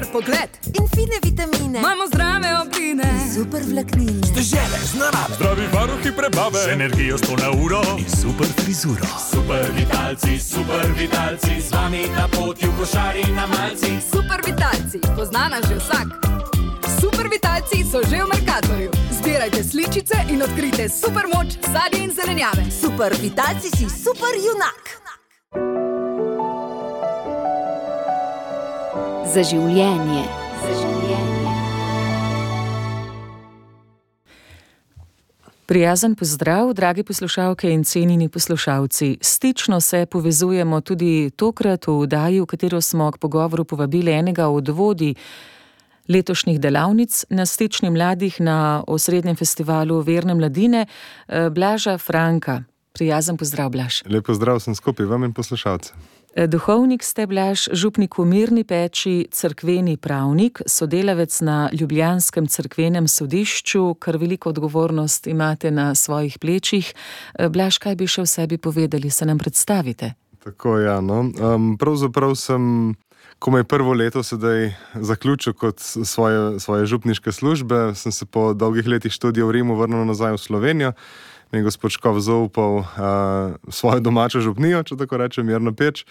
super pogled in fine vitamine. Imamo zdrave obline in super vlaknine. Dežele z narave, zdravi varuhi prebave, z energijo 100 na uro in super frizuro. Super vitalci, z vami na poti v košari na malci. Super vitalci, poznana že vsak. Super vitalci so že v Mercatorju. Zbirajte sličice in odkrite super moč sadja in zelenjave. Super vitalci si super junak. Za življenje. Prijazen pozdrav, dragi poslušalke in cenjeni poslušalci. Stično se povezujemo tudi tokrat v oddaji, v katero smo k pogovoru povabili enega od vodij letošnjih delavnic na Stični mladih na osrednjem festivalu Verne mladine, Blaža Franka. Prijazen pozdrav, Blaž. Lep pozdrav sem skupaj vam in poslušalcem. Duhovnik ste, Blaž, župnik v Mirni Peči, cerkveni pravnik, sodelavec na ljubljanskem cerkvenem sodišču, kar veliko odgovornost imate na svojih plečih. Blaž, kaj bi še v sebi povedali, se nam predstavite? Tako, ja, no. Pravzaprav sem komaj prvo leto sedaj zaključil kot svoje župniške službe. Sem se po dolgih letih študija v Rimu vrnil nazaj v Slovenijo. Mi je gospod Škof zaupal svojo domačo župnijo, če tako rečem, Mirno Peč.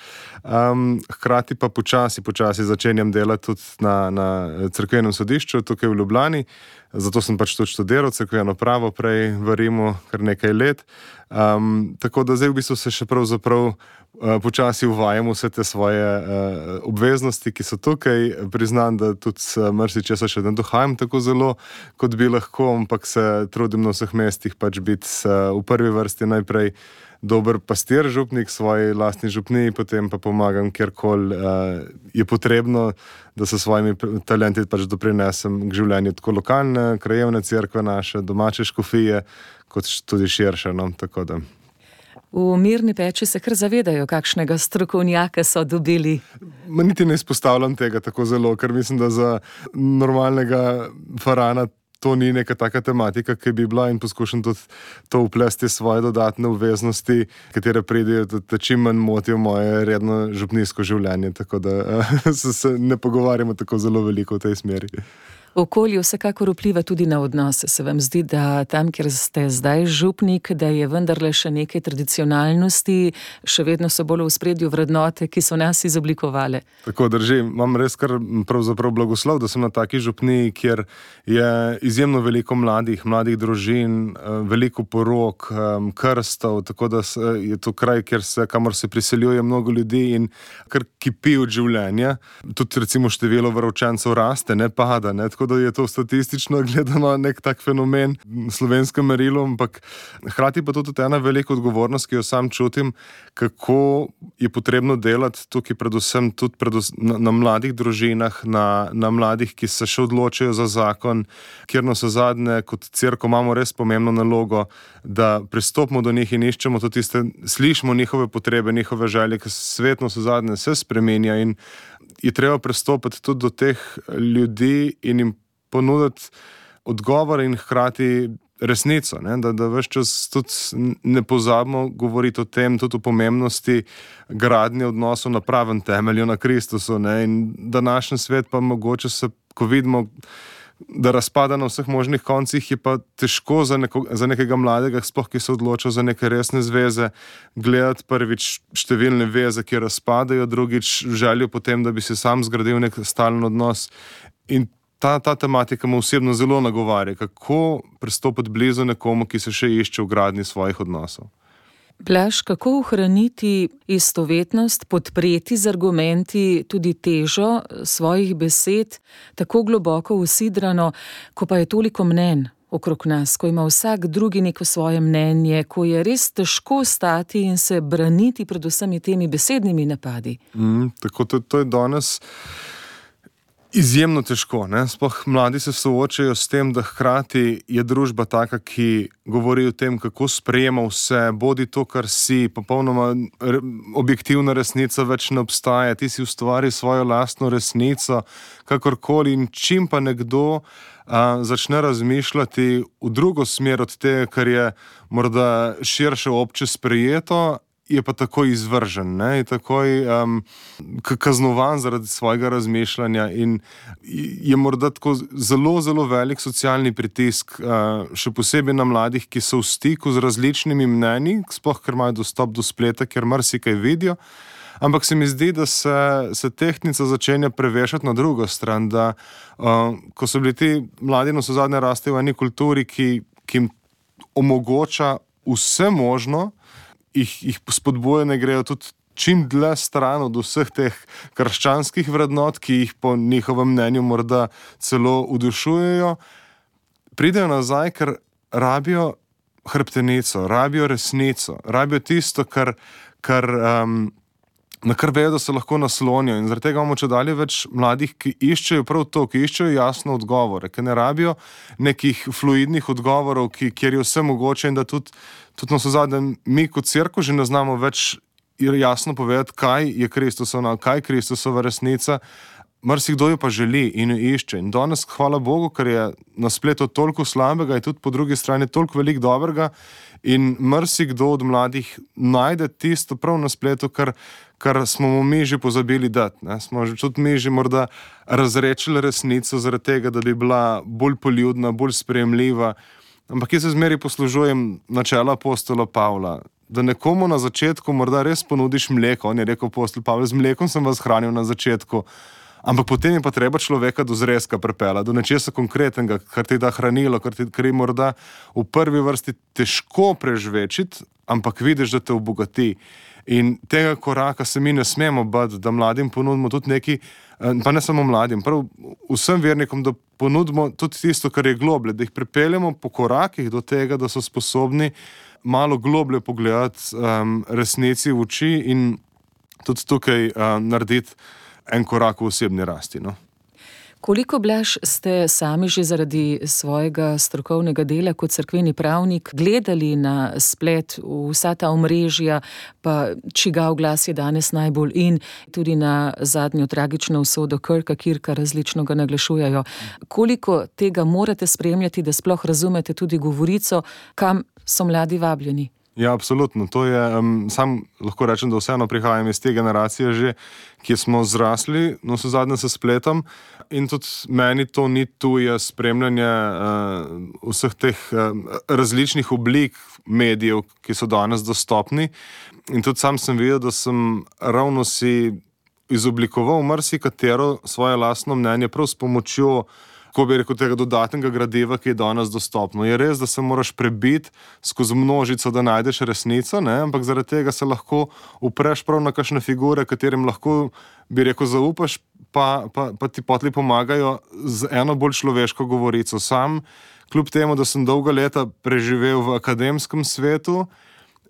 Hkrati pa počasi začenjam delati tudi na cerkvenem sodišču tukaj v Ljubljani. Zato sem pač tudi študiral cerkveno pravo prej v Rimu kar nekaj let. Tako da zdaj v bistvu se še pravzaprav počasi uvajam vse te svoje obveznosti, ki so tukaj. Priznam, da tudi marsičesa še ne dohajam tako zelo, kot bi lahko, ampak se trudim na vseh mestih pač biti v prvi vrsti najprej dober pastir, župnik svoji lastni župniji, potem pa pomagam kjerkoli je potrebno, da se svojimi talenti pač doprinesem k življenju tako lokalne, krajevne cerkve naše, domače škofije, kot tudi širše, no, tako da. V Mirni Peči se kar zavedajo, kakšnega strokovnjaka so dobili. Niti ne izpostavljam tega tako zelo, ker mislim, da za normalnega farana to ni neka taka tematika, ki bi bila, in poskušam tudi to vplesti svoje dodatne obveznosti, katere pridejo, da čim manj motijo moje redno župnijsko življenje, tako da se ne pogovarjamo tako zelo veliko v tej smeri. Okolje vsekakor vpliva tudi na odnose. Se vam zdi, da tam, kjer ste zdaj župnik, da je vendarle še nekaj tradicionalnosti, še vedno so bolj v ospredju vrednote, ki so nas izoblikovale? Tako drži. Imam res kar pravzaprav blagoslov, da sem na taki župniji, kjer je izjemno veliko mladih družin, veliko porok, krstov, tako da je to kraj, kamor se priseljuje mnogo ljudi in kar kipi od življenja. Tudi recimo število veroučencev raste, ne pada, ne? Tako da je to statistično gledano nek tak fenomen v slovenskem merilu, ampak hkrati pa tudi ena velika odgovornost, ki jo sam čutim, kako je potrebno delati tukaj predvsem na mladih družinah, na mladih, ki se še odločajo za zakon, kjer navsezadnje kot cerkev imamo res pomembno nalogo, da pristopimo do njih in iščemo tudi slišimo njihove potrebe, njihove želje, ker svet navsezadnje se spremenja in je treba pristopiti tudi do teh ljudi in jim ponuditi odgovor in hkrati resnico, ne? Da ves čas tudi ne pozabimo govoriti o tem, tudi o pomembnosti gradnje odnosov na pravem temelju, na Kristusu, ne? In današnji svet pa mogoče se, ko vidimo, da razpada na vseh možnih koncih, je pa težko za nekega mladega, sploh ki se odloča za neke resne zveze, gledati prvič številne veze, ki razpadajo, drugič željo potem, da bi se sam zgradil nek stalen odnos. In ta tematika me osebno zelo nagovarja, kako pristopiti blizu nekomu, ki se še išče v gradnji svojih odnosov. Blaž, kako ohraniti istovetnost, podpreti z argumenti tudi težo svojih besed, tako globoko usidrano, ko pa je toliko mnenj okrog nas, ko ima vsak drugi neko svoje mnenje, ko je res težko stati in se braniti pred vsemi temi besednimi napadi? Tako to je danes izjemno težko, ne? Sploh mladi se soočajo s tem, da hkrati je družba taka, ki govori o tem, kako sprejema vse, bodi to, kar si, popolnoma objektivna resnica več ne obstaja, ti si ustvari svojo lastno resnico, kakorkoli, in čim pa nekdo začne razmišljati v drugo smer od tega, kar je morda širše obče sprejeto, je pa takoj izvržen, ne? Je takoj kaznovan zaradi svojega razmišljanja in je morda tako zelo, zelo velik socialni pritisk, še posebej na mladih, ki so v stiku z različnimi mnenji, sploh ker imajo dostop do spleta, ker marsikaj vidijo. Ampak se mi zdi, da se tehtnica začenja prevešati na drugo stran, da ko so bili ti mladi navsezadnje rastejo v eni kulturi, ki jim omogoča vse možno, jih spodbuja, ne grejo tudi čim dlje stran od vseh teh krščanskih vrednot, ki jih po njihovem mnenju morda celo udušujejo, pridejo nazaj, ker rabijo hrbtenico, rabijo resnico, rabijo tisto, na kar vejo, da se lahko naslonijo. In zaradi tega imamo čedalje več mladih, ki iščejo prav to, ki iščejo jasno odgovore, ki ne rabijo nekih fluidnih odgovorov, kjer je vse mogoče in da tudi navsezadnje mi kot cerkev že ne znamo več jasno povedati, kaj je Kristusova, kaj je Kristusova resnica. Marsikdo jo pa želi in jo išče. In danes, hvala Bogu, ker je na spletu toliko slabega in tudi po drugi strani toliko veliko dobrega in marsikdo od mladih najde tisto prav na spletu, kar smo mu mi že pozabili dati. Ne? Smo tudi mi že morda razrečili resnico zaradi tega, da bi bila bolj poljudna, bolj sprejemljiva. Ampak jaz se zmeraj poslužujem načela apostola Pavla, da nekomu na začetku morda res ponudiš mleko. On je rekel apostol Pavel, z mlekom sem vas hranil na začetku, ampak potem je pa treba človeka do zrezka prepela, do nečesa konkretnega, kar ti da hranilo, kar je morda v prvi vrsti težko prežvečiti, ampak vidiš, da te obogati. In tega koraka se mi ne smemo bati, da mladim ponudimo tudi neki, pa ne samo mladim, prav vsem vernikom, da ponudimo tudi tisto, kar je globlje, da jih pripeljemo po korakih do tega, da so sposobni malo globlje pogledati resnici v oči in tudi tukaj narediti en korak v osebni rasti. No? Koliko, Blaž, ste sami že zaradi svojega strokovnega dela kot cerkveni pravnik gledali na splet vsa ta omrežja, pa čigav glas je danes najbolj in tudi na zadnjo tragično usodo Kirka, različno ga naglašujejo. Koliko tega morate spremljati, da sploh razumete tudi govorico, kam so mladi vabljeni? Ja, absolutno. To je, sam lahko rečem, da vseeno prihajam iz te generacije že, ki smo zrasli, navsezadnje se spletom in tudi meni to ni tuje spremljanje vseh teh različnih oblik medijev, ki so danes dostopni. In tudi sam sem videl, da sem ravno si izoblikoval marsikatero svoje lastno mnenje prav s pomočjo, ko bi rekel, tega dodatnega gradiva, ki je danes dostopno. Je res, da se moraš prebiti skozi množico, da najdeš resnico, ne? Ampak zaradi tega se lahko upreš prav na kakšne figure, katerim lahko, bi rekel, zaupaš, pa ti potli pomagajo z eno bolj človeško govorico. Sam, kljub temu, da sem dolga leta preživel v akademskem svetu,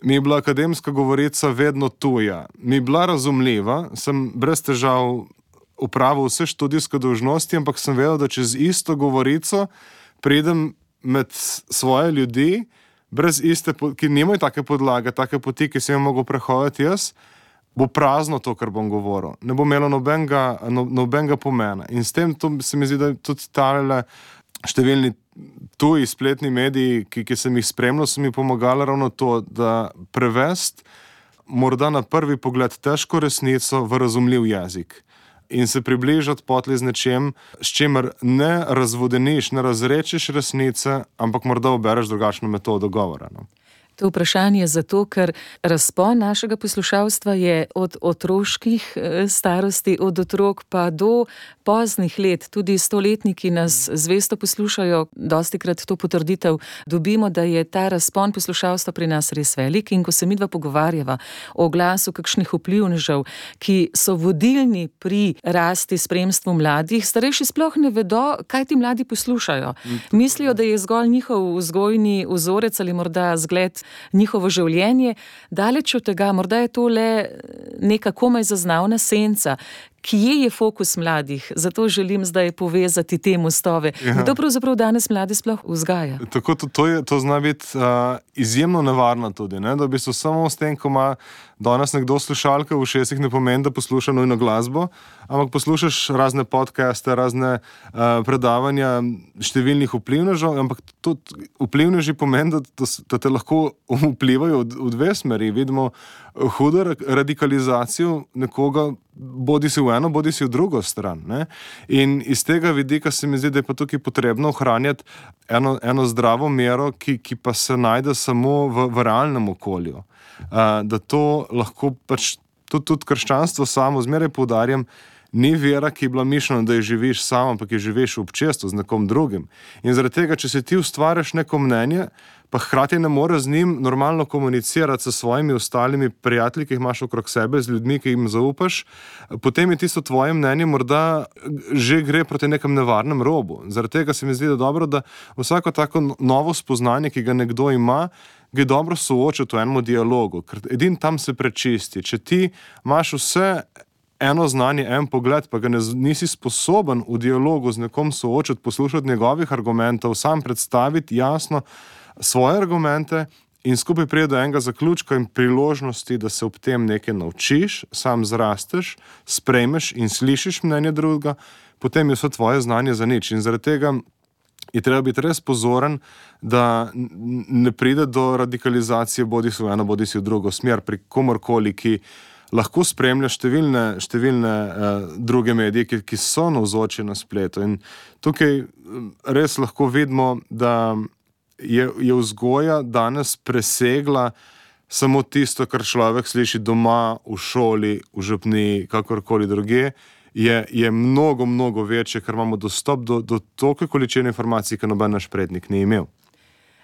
mi je bila akademska govorica vedno tuja. Mi je bila razumljiva, sem brez težav upravil vse študijske dolžnosti, ampak sem vedel, da čez isto govorico pridem med svoje ljudi, brez iste, ki nimajo take podlage, take poti, ki sem jo mogel prehoditi jaz, bo prazno to, kar bom govoril. Ne bo imelo nobenega pomena. In s tem se mi zdi, da tudi tale številni tuji spletni mediji, ki sem jih spremljal, so mi pomagali ravno to, da prevesti morda na prvi pogled težko resnico v razumljiv jezik. In se približati potli z nečem, s čimer ne razvodeniš, ne razrečeš resnice, ampak morda obereš drugačno metodo govora. No? To vprašanje je zato, ker razpon našega poslušalstva je od otroških starosti, od otrok pa do poznih let. Tudi stoletniki nas zvesto poslušajo, dostikrat to potrditev dobimo, da je ta razpon poslušalstva pri nas res velik. In ko se midva pogovarjava o glasu kakšnih vplivnežev, ki so vodilni pri rasti spremstvu mladih, starejši sploh ne vedo, kaj ti mladi poslušajo. Mislijo, da je zgolj njihov vzgojni vzorec ali morda zgled njihovo življenje. Daleč od tega, morda je to le neka komaj zaznavna senca. Kje je fokus mladih? Zato želim zdaj povezati te mostove. Ja. Kdo pravzaprav danes mlade sploh vzgaja? Tako, to zna biti izjemno nevarno tudi, ne? Da v bistvu samo s tem, ko ima danes nekdo slušalke v ušesih, ne pomeni, da posluša nujno glasbo, ampak poslušaš razne podcaste, razne predavanja številnih vplivnežev, ampak vplivneži pomeni, da te lahko vplivajo v dve smeri. Vidimo hudo radikalizacijo nekoga, bodi si v eno, bodi si v drugo stran. Ne? In iz tega vidika se mi zdi, da je pa tukaj potrebno ohranjati eno zdravo mero, ki pa se najde samo v realnem okolju. Da to lahko pač tudi krščanstvo samo, zmeraj poudarjam, ni vera, ki je bila mišljena, da je živiš sam, ampak je živiš v občestvu z nekom drugim. In zaradi tega, če se ti ustvariš neko mnenje, pa hkrati ne moreš z njim normalno komunicirati s svojimi ostalimi prijatelji, ki jih imaš okrog sebe, z ljudmi, ki jim zaupaš, potem je tisto tvoje mnenje morda že gre proti nekem nevarnem robu. Zaradi tega se mi zdi, da dobro, da vsako tako novo spoznanje, ki ga nekdo ima, ga je dobro soočiti v enem dialogu, ker edin tam se prečisti. Če ti imaš vse eno znanje, en pogled, pa ga nisi sposoben v dialogu z nekom soočiti, poslušati njegovih argumentov, sam predstaviti jasno svoje argumente in skupaj pride do enega zaključka in priložnosti, da se ob tem nekaj naučiš, sam zrasteš, sprejmeš in slišiš mnenje drugega, potem je vse tvoje znanje za nič. In zaradi tega je treba biti res pozoren, da ne pride do radikalizacije bodi si v eno, bodi si v drugo smer pri komorkoli, ki lahko spremlja številne druge medije, ki so navzoči na spletu. In tukaj res lahko vidimo, da je vzgoja danes presegla samo tisto, kar človek sliši doma, v šoli, v župniji, kakorkoli druge, je mnogo, mnogo večje, ker imamo dostop do toliko količine informacij, ki noben naš prednik ni imel.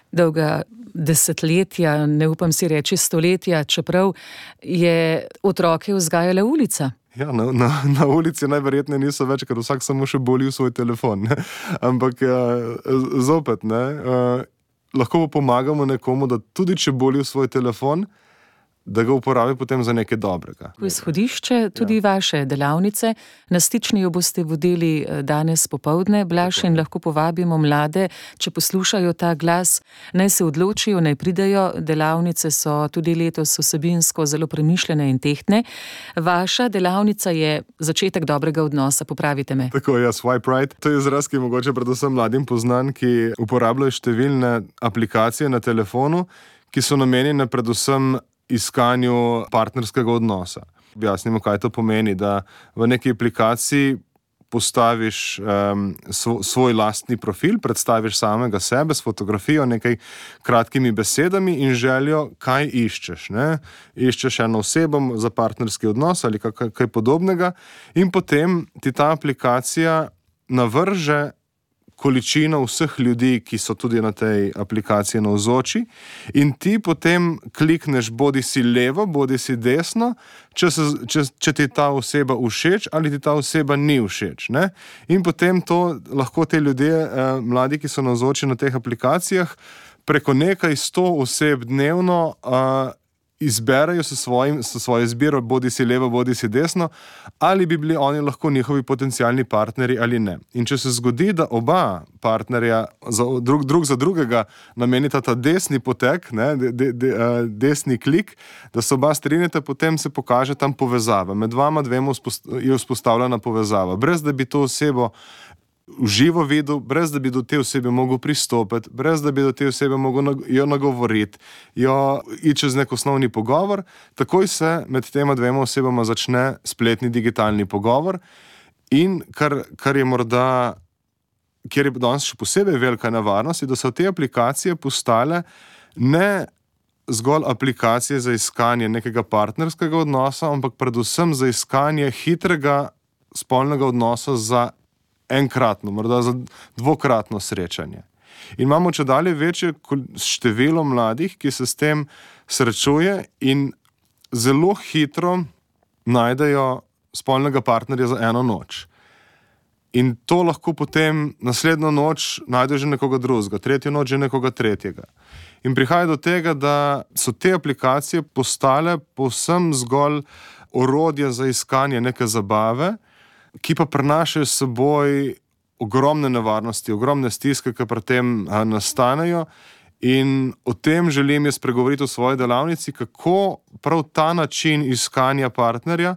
Dolga desetletja, ne upam si reči stoletja, čeprav je otroke vzgajala ulica. Ja, na ulici najverjetneje niso več, ker vsak samo še boli v svoj telefon. Ne? Ampak zopet, lahko pomagamo nekomu, da tudi če boli v svoj telefon, da ga uporabi potem za nekaj dobrega. V izhodišče tudi vaše delavnice. Na Stičniju boste vodili danes popoldne, Blaž, in lahko povabimo mlade, če poslušajo ta glas, naj se odločijo, naj pridejo. Delavnice so tudi letos vsebinsko zelo premišljene in tehtne. Vaša delavnica je začetek dobrega odnosa, popravite me. Tako je, swipe right. To je izraz, ki je mogoče predvsem mladim poznan, ki uporabljajo številne aplikacije na telefonu, ki so namenjene predvsem iskanju partnerskega odnosa. Objasnimo, kaj to pomeni, da v neki aplikaciji postaviš svoj lastni profil, predstaviš samega sebe s fotografijo, nekaj kratkimi besedami in željo, kaj iščeš. Ne? Iščeš eno osebo za partnerski odnos ali kaj podobnega in potem ti ta aplikacija navrže količino vseh ljudi, ki so tudi na tej aplikaciji navzoči, in ti potem klikneš bodi si levo, bodi si desno, če ti ta oseba všeč ali ti ta oseba ni všeč. Ne? In potem to lahko te ljudje, mladi, ki so navzoči na teh aplikacijah, preko nekaj 100 oseb dnevno izberejo s svojo izbiro, bodi si levo, bodi si desno, ali bi bili oni lahko njihovi potencialni partnerji ali ne. In če se zgodi, da oba partnerja drug za drugega namenita ta desni potek, desni klik, da se oba strinjata, potem se pokaže tam povezava. Med vama dvema je vzpostavljena povezava. Brez da bi to osebo v živo videl, brez da bi do te osebe mogel pristopiti, brez da bi do te osebe mogel jo nagovoriti, jo iti čez nek osnovni pogovor, takoj se med tema dvema osebama začne spletni digitalni pogovor in kar je morda, kjer je danes še posebej velika nevarnost, je, da so te aplikacije postale ne zgolj aplikacije za iskanje nekega partnerskega odnosa, ampak predvsem za iskanje hitrega spolnega odnosa za enkratno, morda za dvokratno srečanje. In imamo čedalje večje število mladih, ki se s tem srečuje in zelo hitro najdejo spolnega partnerja za eno noč. In to lahko potem naslednjo noč najde že nekoga drugega, tretjo noč že nekoga tretjega. In prihaja do tega, da so te aplikacije postale povsem zgolj orodje za iskanje neke zabave, ki pa prinašajo s seboj ogromne nevarnosti, ogromne stiske, ki pri tem nastanejo. In o tem želim jaz spregovoriti v svoji delavnici, kako prav ta način iskanja partnerja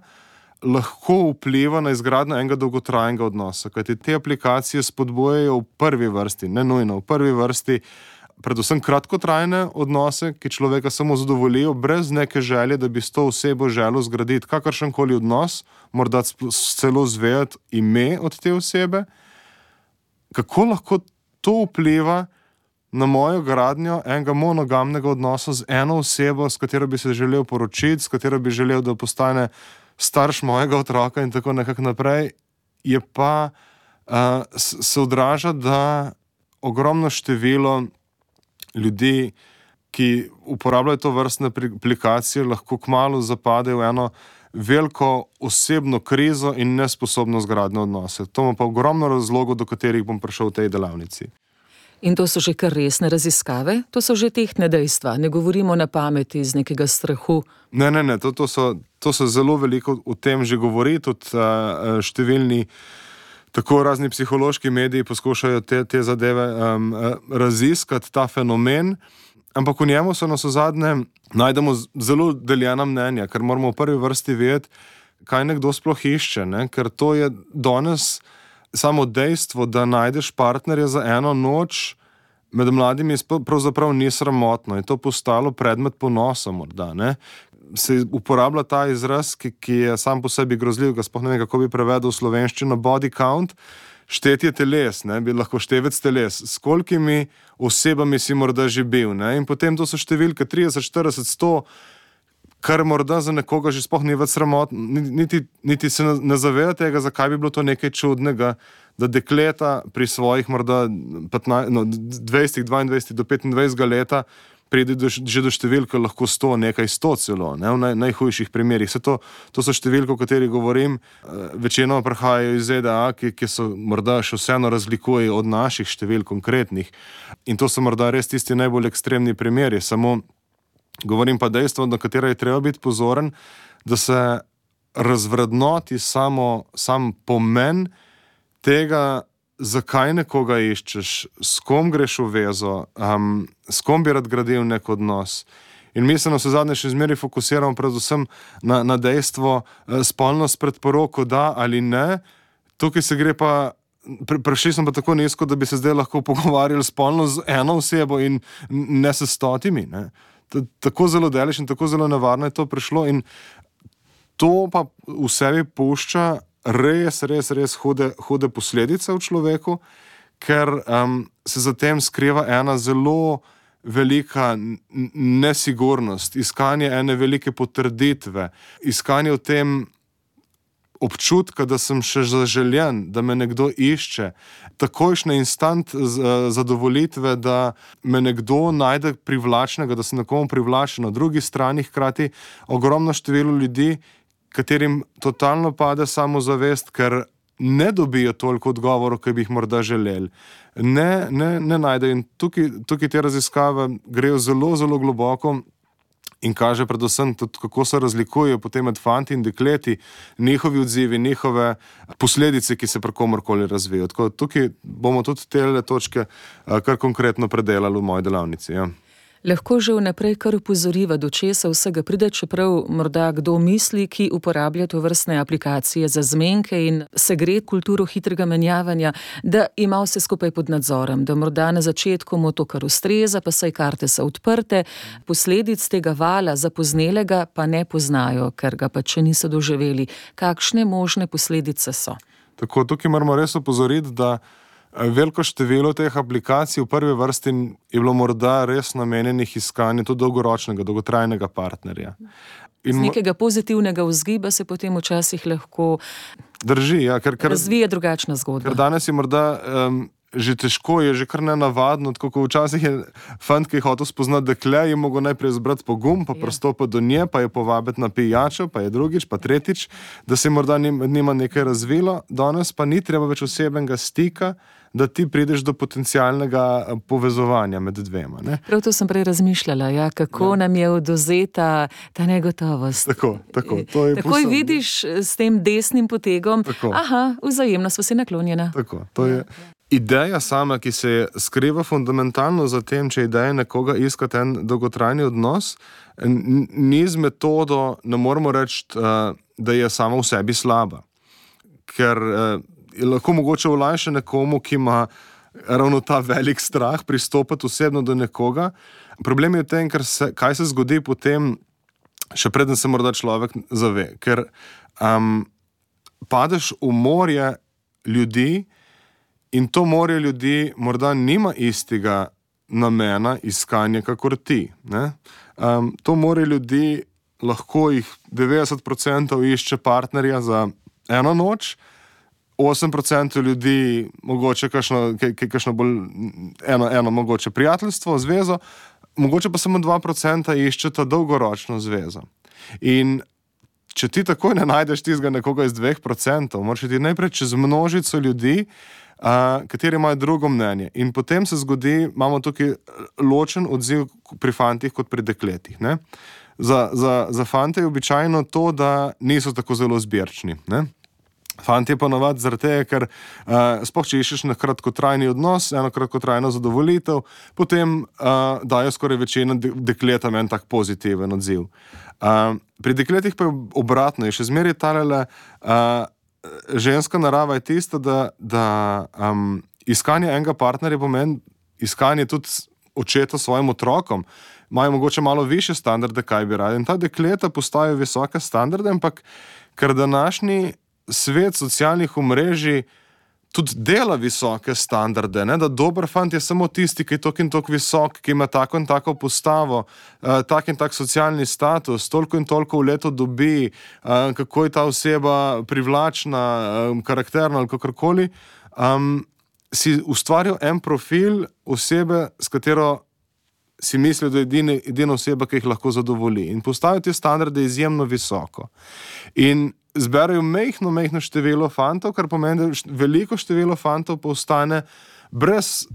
lahko vpliva na izgradnjo enega dolgotrajnega odnosa, kajti te aplikacije spodbujajo v prvi vrsti, ne nujno, v prvi vrsti predvsem kratkotrajne odnose, ki človeka samo zadovoljijo, brez neke želje, da bi s to osebo želel zgraditi kakršenkoli odnos, morda celo zvedeti ime od te osebe. Kako lahko to vpliva na mojo gradnjo enega monogamnega odnosa z eno osebo, s katero bi se želel poročiti, s katero bi želel, da postane starš mojega otroka in tako nekako naprej, je pa se odraža, da ogromno število ljudi, ki uporabljajo to vrstne aplikacije, lahko kmalu zapade v eno veliko osebno krizo in nesposobnost gradnje odnose. To ima pa ogromno razlogov, do katerih bom prišel v tej delavnici. In to so že kar resne raziskave? To so že tehtne dejstva? Ne govorimo na pameti iz nekega strahu? Ne, to so zelo veliko o tem že govori, tudi številni tako razni psihološki mediji poskušajo te zadeve raziskati, ta fenomen, ampak v njemu so navsezadnje najdemo zelo deljena mnenja, ker moramo v prvi vrsti vedeti, kaj nekdo sploh išče, ne? Ker to je danes samo dejstvo, da najdeš partnerja za eno noč, med mladimi pravzaprav ni sramotno, je to postalo predmet ponosa morda, ne? Se uporablja ta izraz, ki je sam po sebi grozljiv, ga sploh ne vem, kako bi prevedel v slovenščino, body count, štetje teles, ne, bi lahko števec teles, s kolikimi osebami si morda že bil, ne, in potem to so številke 30, 40, 100, kar morda za nekoga že sploh ni več sramotno, niti se ne zaveda tega, zakaj bi bilo to nekaj čudnega, da dekleta pri svojih morda 20, 22 do 25 leta pride že do številke lahko 100, nekaj 100 celo, ne, v najhujših primerih. To so številke, o katerih govorim, večinoma prihajajo iz ZDA, ki so morda še vseeno razlikujejo od naših številk konkretnih. In to so morda res tisti najbolj ekstremni primeri. Samo govorim pa dejstvo, na katero je treba biti pozoren, da se razvrednoti sam pomen tega, zakaj nekoga iščeš, s kom greš v vezo, s kom bi rad gradil nek odnos. In mi se navsezadnje še zmeraj fokusiramo predvsem na dejstvo spolnost pred poroko, da ali ne. Tukaj se gre pa, prišli smo pa tako nizko, da bi se zdaj lahko pogovarjali spolno z eno osebo in ne s 100, ne. Tako zelo daleč in tako zelo nevarno je to prišlo in to pa v sebi pušča res hude posledice v človeku, ker se za tem skriva ena zelo velika nesigurnost, iskanje ene velike potrditve, iskanje v tem občutka, da sem še zaželjen, da me nekdo išče, takojšnje instant zadovolitve, da me nekdo najde privlačnega, da sem nekomu privlačen. Na drugi strani hkrati ogromno število ljudi, katerim totalno pade samozavest, ker ne dobijo toliko odgovorov, ki bi jih morda želeli. Ne najdejo. In tukaj te raziskave grejo zelo, zelo globoko in kaže predvsem tudi, kako se razlikujejo potem med fanti in dekleti, njihovi odzivi, njihove posledice, ki se pri komorkoli razvijajo. Tako tukaj bomo tudi te točke kar konkretno predelali v moji delavnici, ja. Lahko že vnaprej kar upozoriva, do česa vsega pride, čeprav morda kdo misli, ki uporablja to vrstne aplikacije za zmenke in se gre kulturo hitrega menjavanja, da ima vse skupaj pod nadzorom, da morda na začetku mu to kar ustreza, pa saj karte so odprte, posledic tega vala zapoznelega pa ne poznajo, ker ga pa če niso doživeli. Kakšne možne posledice so? Tako, tukaj moramo res opozoriti, da veliko število teh aplikacij v prvi vrsti je bilo morda res namenjenih iskanju tudi dolgoročnega, dolgotrajnega partnerja. Z nekega pozitivnega vzgiba se potem včasih lahko drži, ja, ker razvije drugačna zgodba. Ker danes je morda že težko, je že kar nenavadno, tako kot včasih je fant, ki je hotel spoznati dekle, je mogel najprej zbrati pogum, pa pristopiti do nje, pa je povabiti na pijačo, pa je drugič, pa tretjič, da se morda nima nekaj razvilo. Danes pa ni treba več osebnega stika, da ti prideš do potencialnega povezovanja med dvema. Ne? Prav to sem prej razmišljala, ja, kako nam je odvzeta ta negotovost. Tako. Takoj vidiš s tem desnim potegom, aha, vzajemno sva si naklonjena. Tako, to je ideja sama, ki se skriva fundamentalno za tem, če ideja nekoga iskati en dolgotrajni odnos, ni z metodo, ne moramo reči, da je sama v sebi slaba. Ker je lahko mogoče olajša nekomu, ki ima ravno ta velik strah pristopati osebno do nekoga. Problem je v tem, kaj se zgodi potem, še preden se morda človek zave. Ker padeš v morje ljudi in to morje ljudi morda nima istega namena iskanja, kakor ti. Ne? To morje ljudi lahko jih 90% išče partnerja za eno noč, 8% ljudi mogoče kakšno bolj eno mogoče prijateljstvo, zvezo, mogoče pa samo 2% iščeta dolgoročno zvezo. In če ti takoj ne najdeš tistega nekoga iz 2%, moraš ti najprej čez množico ljudi, kateri imajo drugo mnenje. In potem se zgodi, imamo tukaj ločen odziv pri fantih kot pri dekletih. Ne? Za fante je običajno to, da niso tako zelo zbirčni. Ne? Fantje pa navad zaradi tega, ker sploh če iščeš na kratkotrajni odnos, eno kratkotrajno zadovolitev, potem dajo skoraj večina dekletam en tak pozitiven odziv. Pri dekletih pa je obratno, je še zmeraj talele, ženska narava je tista, da iskanje enega partnerja pomeni iskanje tudi očeta svojim otrokom. Imajo mogoče malo više standarde, kaj bi radi. In ta dekleta postajajo visoke standarde, ampak ker današnji svet socialnih omrežij tudi dela visoke standarde, ne? Da dober fant je samo tisti, ki je tok in tok visok, ki ima tako in tako postavo, tak in tak socialni status, toliko in toliko v leto dobi, kako je ta oseba privlačna, karakterna ali kakorkoli, si ustvaril en profil osebe, s katero si mislijo, da je edina oseba, ki jih lahko zadovolji. In postavijo te standarde izjemno visoko. In zberajo mehno število fantov, kar pomeni, da veliko število fantov postane brez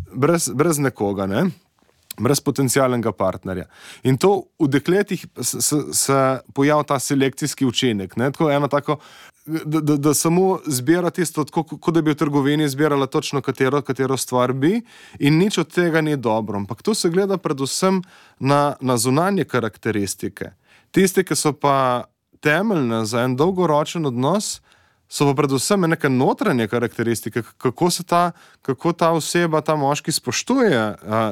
nekoga, ne? Brez potencialnega partnerja. In to v dekletih se pojavlja ta selekcijski učinek. Ne? Tako eno tako, da samo zbira tisto, kot da bi v trgovini zbirala točno katero stvar bi, in nič od tega ni dobro. Ampak to se gleda predvsem na zunanje karakteristike. Tiste, ki so pa temeljne za en dolgoročen odnos, so pa predvsem neke notranje karakteristike, kako ta oseba, ta moški spoštuje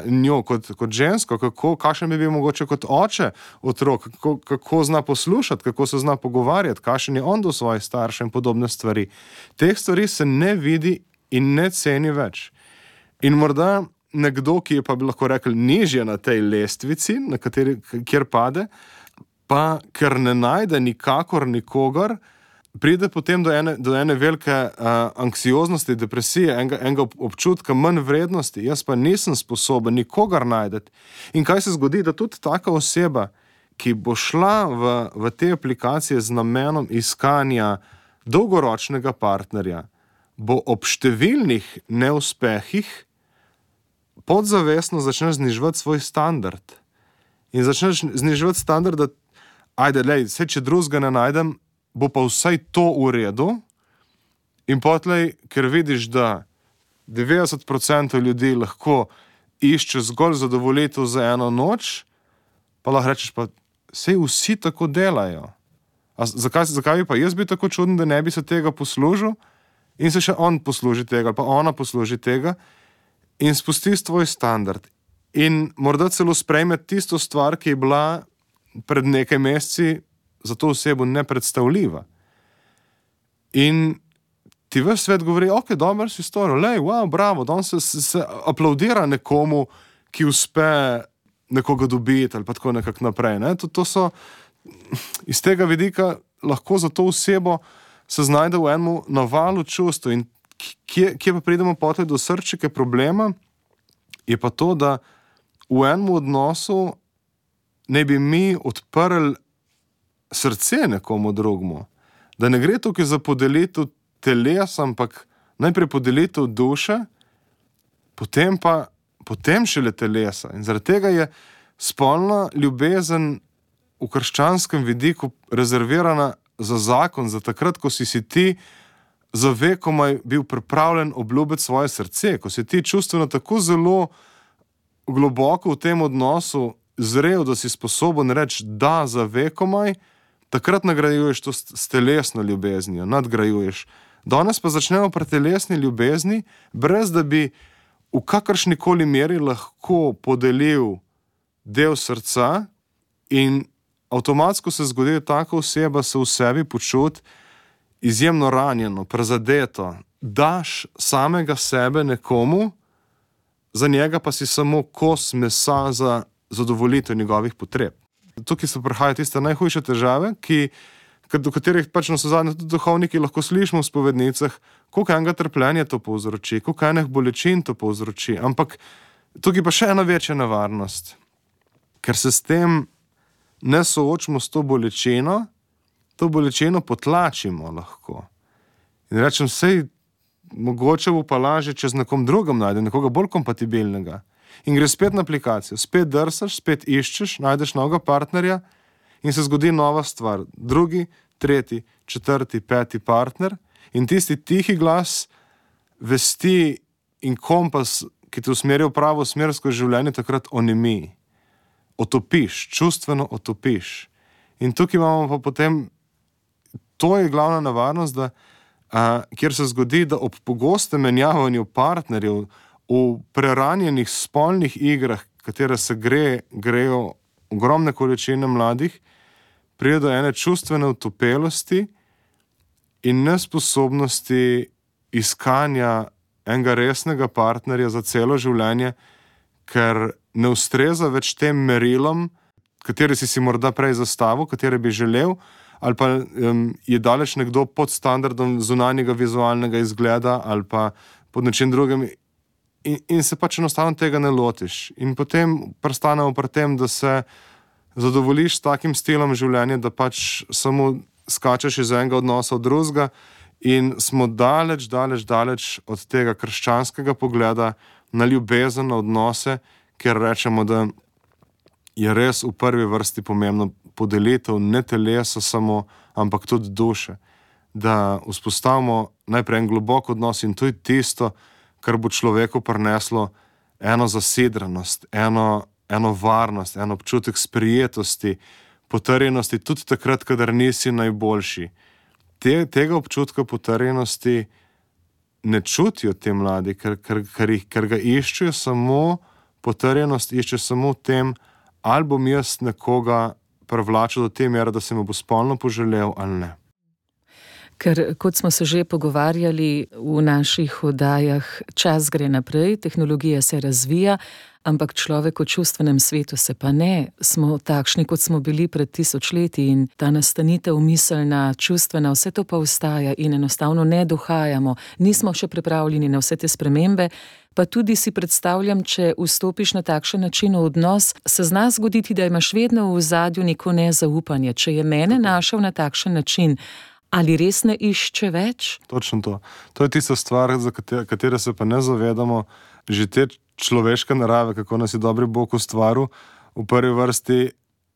njo kot žensko, kakšen bi bil mogoče kot oče otrok, kako zna poslušati, kako se zna pogovarjati, kakšen je on do svojih staršev in podobne stvari. Teh stvari se ne vidi in ne ceni več. In morda nekdo, ki je pa bi lahko rekel nižje na tej lestvici, kjer pade, pa ker ne najde nikakor nikogar, pride potem do ene velike anksioznosti, depresije, enega občutka manj vrednosti. Jaz pa nisem sposoben nikogar najdeti. In kaj se zgodi, da tudi taka oseba, ki bo šla v te aplikacije z namenom iskanja dolgoročnega partnerja, bo ob številnih neuspehih podzavestno začneš zniževati svoj standard. In začneš zniževati standard, da vse, če drugega ne najdem, bo pa vsaj to v redu. In potlej, ker vidiš, da 90% ljudi lahko išče zgolj zadovoljitev za eno noč, pa lahko rečeš, pa sej vsi tako delajo. Zakaj bi pa jaz bil tako čuden, da ne bi se tega poslužil? In se še on posluži tega, ali pa ona posluži tega in spusti svoj standard. In morda celo sprejme tisto stvar, ki je bila pred nekaj meseci za to osebo nepredstavljiva. In ti ves svet govori, ok, dobro si storil, wow, bravo, danes se aplaudira nekomu, ki uspe nekoga dobiti ali pa tako nekako naprej. Ne? To so iz tega vidika lahko za to osebo se znajde v enem navalu čustva. In kje pa pridemo potem do srčike problema, je pa to, da v enem odnosu ne bi mi odprli srce nekomu drugmu. Da ne gre tukaj za podelitev telesa, ampak najprej podelitev duše, potem šele telesa. In zaradi tega je spolna ljubezen v krščanskem vidiku rezervirana za zakon, za takrat, ko si ti za vekomaj bil pripravljen obljubiti svoje srce, ko si ti čustveno tako zelo globoko v tem odnosu zrel, da si sposoben reči da za vekomaj, takrat nagrajuješ to s telesno ljubeznijo, nadgrajuješ. Danes pa začnemo pri telesni ljubezni, brez da bi v kakršnikoli meri lahko podelil del srca in avtomatsko se zgodi, da taka oseba se v sebi počuti izjemno ranjeno, prezadeto. Daš samega sebe nekomu, za njega pa si samo kos mesa za zadovoljitev njegovih potreb. Tukaj se prihajajo tiste najhujše težave, do katerih pač navsezadnje tudi duhovniki lahko slišimo v spovednicah, koliko enega trpljenja to povzroči, koliko enih bolečin to povzroči. Ampak tukaj pa še ena večja nevarnost, ker se s tem ne soočimo s to bolečino potlačimo lahko. In rečem, sej mogoče bo pa lažje, če z nekom drugim najde, nekoga bolj kompatibilnega. In gre spet na aplikacijo, spet drsaš, spet iščeš, najdeš novega partnerja in se zgodi nova stvar. Drugi, tretji, četrti, peti partner in tisti tihi glas vesti in kompas, ki te usmeri v pravo smer skozi življenje, takrat onemi. Otopiš, čustveno otopiš. In tukaj imamo pa potem, to je glavna nevarnost, da kjer se zgodi, da ob pogostem menjavanju partnerjev v preranjenih spolnih igrah, katere se grejo ogromne količine mladih, pride do ene čustvene utopelosti in nesposobnosti iskanja enega resnega partnerja za celo življenje, ker ne ustreza več tem merilom, katere si morda prej zastavil, katere bi želel, ali pa je daleč nekdo pod standardom zunanjega vizualnega izgleda ali pa pod nečim drugim in se pač enostavno tega ne lotiš. In potem prestanemo pri tem, da se zadovoljiš s takim stilom življenja, da pač samo skačeš iz enega odnosa v drugega in smo daleč od tega krščanskega pogleda na ljubezen, na odnose, kjer rečemo, da je res v prvi vrsti pomembno podelitev ne telesa samo, ampak tudi duše. Da vzpostavimo najprej en globok odnos in to je tisto, kar bo človeku prineslo eno zasidranost, eno varnost, en občutek sprijetosti, potrjenosti, tudi takrat, kadar nisi najboljši. Tega občutka potrjenosti ne čutijo te mladi, ker ga iščejo samo, potrjenost iščejo samo v tem, ali bom jaz nekoga privlačil do te mere, da se me bo spolno poželel ali ne. Ker, kot smo se že pogovarjali v naših oddajah, čas gre naprej, tehnologija se razvija, ampak človek v čustvenem svetu se pa ne. Smo takšni, kot smo bili pred 1000 leti in ta nastanitev miselna, čustvena, vse to pa ostaja in enostavno ne dohajamo. Nismo še pripravljeni na vse te spremembe, pa tudi si predstavljam, če vstopiš na takšen način v odnos, se zna zgoditi, da imaš vedno v ozadju neko nezaupanje. Če je mene našel na takšen način, ali res ne išče več? Točno to. To je tista stvar, za katero se pa ne zavedamo, že te človeške narave, kako nas je dobri Bog ustvaril, v prvi vrsti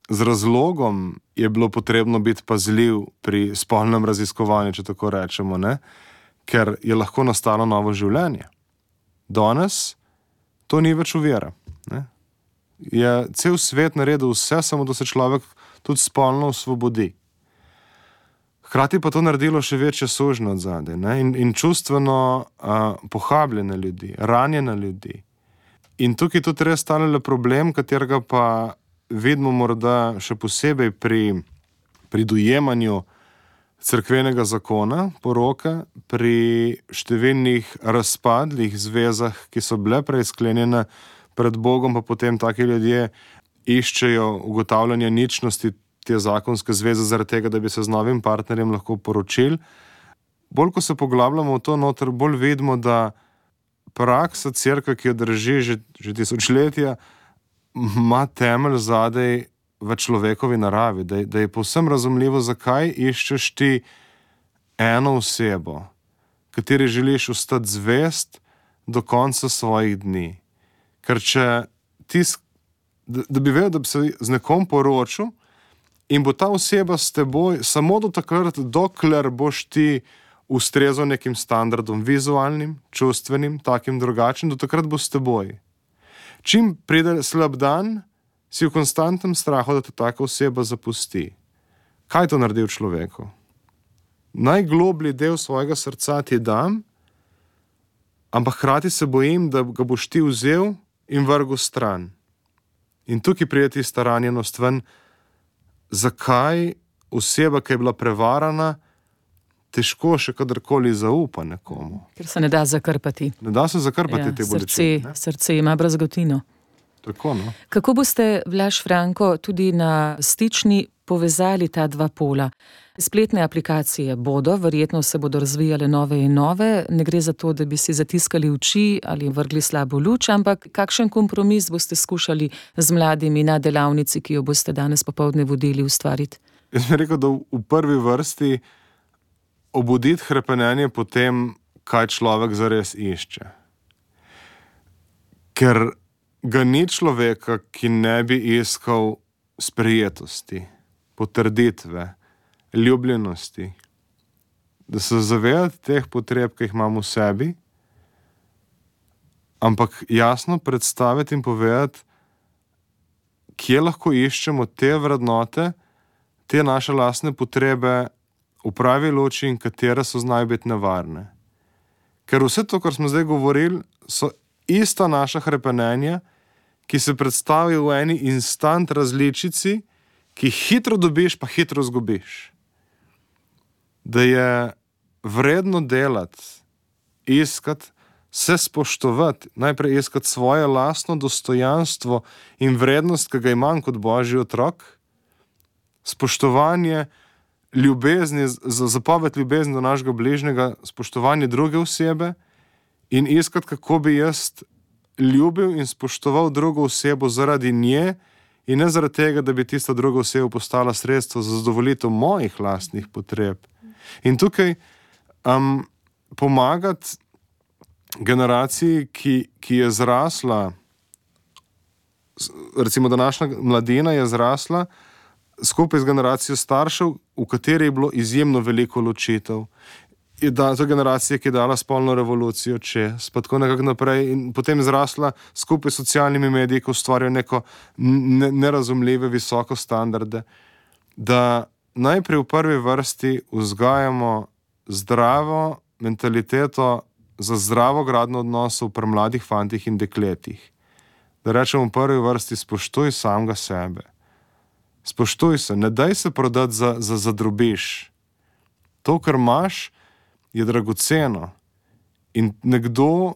z razlogom je bilo potrebno biti pazljiv pri spolnem raziskovanju, če tako rečemo, ne? Ker je lahko nastalo novo življenje. Danes to ni več ovira. Je cel svet naredil vse, samo da se človek tudi spolno osvobodi. Hkrati pa to naredilo še večje sužnje od zadaj, in čustveno pohabljene ljudi, ranjene ljudi. In tukaj tudi res stane problem, katerega pa vidimo morda še posebej pri dojemanju cerkvenega zakona, poroke, pri številnih razpadlih zvezah, ki so bile prej sklenjene pred Bogom, pa potem taki ljudje iščejo ugotavljanje ničnosti te zakonske zveze zaradi tega, da bi se z novim partnerjem lahko poročili. Bolj, ko se poglabljamo v to noter, bolj vidimo, da praksa cerkve, ki jo drži že tisočletja, ima temelj zadaj v človekovi naravi, da je povsem razumljivo, zakaj iščeš ti eno osebo, kateri želiš ostati zvest do konca svojih dni. Ker če ti, da bi vedel, da bi se z nekom poročil in bo ta oseba s teboj samo do takrat, dokler boš ti ustrezal nekim standardom vizualnim, čustvenim, takim drugačnim, do takrat bo s teboj. Čim pride slab dan, si v konstantnem strahu, da te taka oseba zapusti. Kaj to naredi v človeku? Najgloblji del svojega srca ti dam, ampak hkrati se bojim, da ga boš ti vzel in vrgel stran. In tukaj pride tista ranjenost ven, zakaj oseba, ki je bila prevarana, težko še kadarkoli zaupa nekomu. Ker se ne da zakrpati. Ne da se zakrpati te bolečine. Srce ima brazgotino. Tako, no. Kako boste, Blaž Franko, tudi na Stični povezali ta dva pola? Spletne aplikacije bodo, verjetno se bodo razvijale nove in nove, ne gre za to, da bi si zatiskali oči ali vrgli slabo luč, ampak kakšen kompromis boste skušali z mladimi na delavnici, ki jo boste danes popoldne vodili, ustvariti? Jaz bi rekel, da v prvi vrsti obuditi hrepenenje po tem, kaj človek zares išče. Ker ga ni človeka, ki ne bi iskal sprejetosti, potrditve, ljubljenosti, da se zavedati teh potreb, ki jih imamo v sebi, ampak jasno predstaviti in povedati, kje lahko iščemo te vrednote, te naše lastne potrebe v pravi luči in katere so znajo biti nevarne. Ker vse to, kar smo zdaj govorili, so ista naša hrepenenja, ki se predstavi v eni instant različici, ki hitro dobiš, pa hitro zgubiš. Da je vredno delati, iskati, se spoštovati, najprej iskati svoje lastno dostojanstvo in vrednost, ki ga imam kot Božji otrok, spoštovanje ljubezni, zapoved ljubezni do našega bližnjega, spoštovanje druge osebe in iskati, kako bi jaz ljubil in spoštoval drugo osebo zaradi nje in ne zaradi tega, da bi tista druga oseba postala sredstvo za zadovoljitev mojih lastnih potreb. In tukaj pomagati generaciji, ki je zrasla, recimo današnja mladina je zrasla skupaj z generacijo staršev, v kateri je bilo izjemno veliko ločitev. To je generacija, ki je dala spolno revolucijo čez, pa tako nekako naprej in potem zrasla skupaj s socialnimi mediji, ki ustvarjajo neko nerazumljive visoko standarde, da najprej v prvi vrsti vzgajamo zdravo mentaliteto za zdravo gradnjo odnosov pri mladih fantih in dekletih. Da rečemo v prvi vrsti spoštuj samega sebe. Spoštuj se, ne daj se prodati za drobiž. To, kar imaš, je dragoceno. In nekdo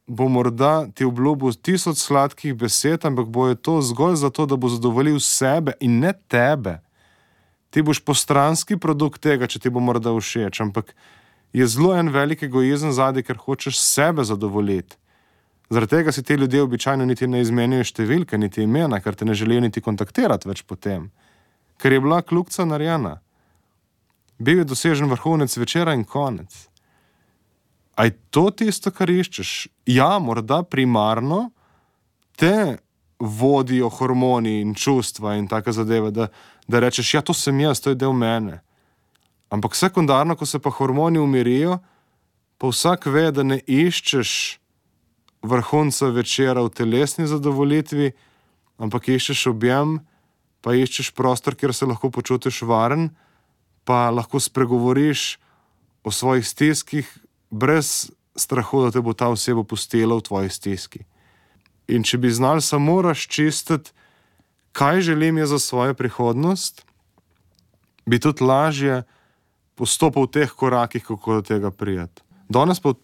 bo morda ti obljubil 1000 sladkih besed, ampak bo je to zgolj zato, da bo zadovoljil sebe in ne tebe. Ti boš postranski produkt tega, če ti bo morda všeč, ampak je zelo en velik egoizem zadaj, ker hočeš sebe zadovoljiti. Zaradi tega si ti ljudje običajno niti ne izmenjujo številke, niti imena, ker te ne želijo niti kontaktirati več potem. Ker je bila kljukca narejena. Bil je dosežen vrhunec večera in konec. A je to tisto, kar iščeš? Ja, morda primarno te vodijo hormoni in čustva in take zadeve, da rečeš, ja, to sem jaz, to je del mene. Ampak sekundarno, ko se pa hormoni umirijo, pa vsak ve, da ne iščeš vrhunca večera v telesni zadovoljitvi, ampak iščeš objem, pa iščeš prostor, kjer se lahko počutiš varen, pa lahko spregovoriš o svojih stiskih brez strahu, da te bo ta oseba pustila v tvoji stiski. In če bi znali samo razčistiti, kaj želim jaz za svojo prihodnost, bi tudi lažje postopal v teh korakih, kako do tega prijeti. Danes pa